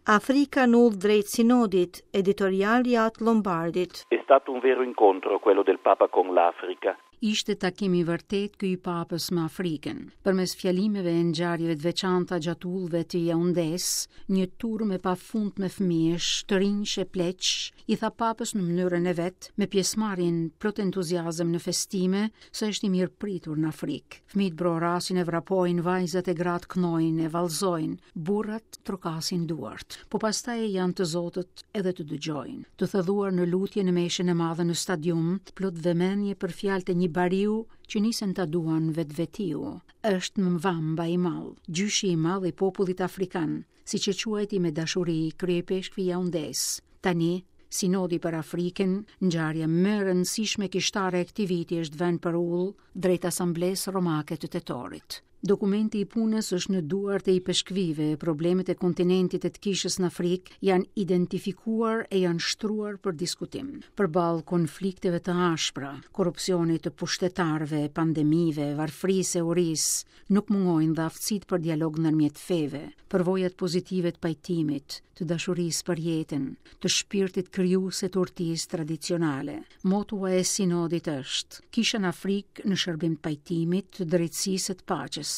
Afrika në udhë drejt Sinodit, editorial i At Lombardit. È stato un vero incontro quello del Papa con l'Africa. Ishte takim i vërtetë ky i Papës me Afrikën. Përmes fjalimeve e ngjarjeve të veçanta gjatë udhëve të Jaundesë, një turmë e pafundme fëmijësh, të rinjsh e pleqsh, i tha Papës në mënyrën e vet, me pjesëmarrjen plot entuziazëm në festime, se është i mirëpritur në Afrikë. Fëmijët brohorasin e vrapojnë, vajzat e gratë këndojnë e vallëzojnë, burrat trokasin duart. Po pastaj janë të zotët edhe të dëgjojnë. Të thelluar në lutje në meshën e madhe në stadium, plot vëmendje për fjalët e një bariu që nisën ta duan vetvetiu. Është Mvamba i madh, gjyshi i madh i popullit afrikan, siç e quajti me dashuri kryeipeshkvi i Jaundesë. Tani, Sinodi për Afrikën, ngjarja më e rëndësishme kishtare e këtij viti është vënë për udhë drejt Asamblesë Romake të tetorit. Dokumenti i punës është në duart e ipeshkvijve, problemet e kontinentit e të kishës në Afrikë janë identifikuar e janë shtruar për diskutim. Përballë konflikteve të ashpra, korrupsionit të pushtetarëve, pandemive, varfërisë e urisë, Nuk mungojnë dhe aftësitë për dialog ndërmjet feve, përvojat pozitive të pajtimit, të dashurisë për jetën, të shpirtit krijues e të urtisë tradicionale. Motoja e sinodit është: Kisha në Afrikë në shërbim të pajtimit, të drejtësisë e të paqes.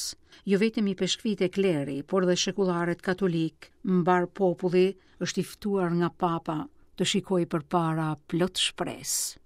Jo vetëm ipeshkvijtë e kleri, por dhe shekullarët katolikë, mbarë populli është i ftuar nga Papa të shikojë përpara plot shpresë.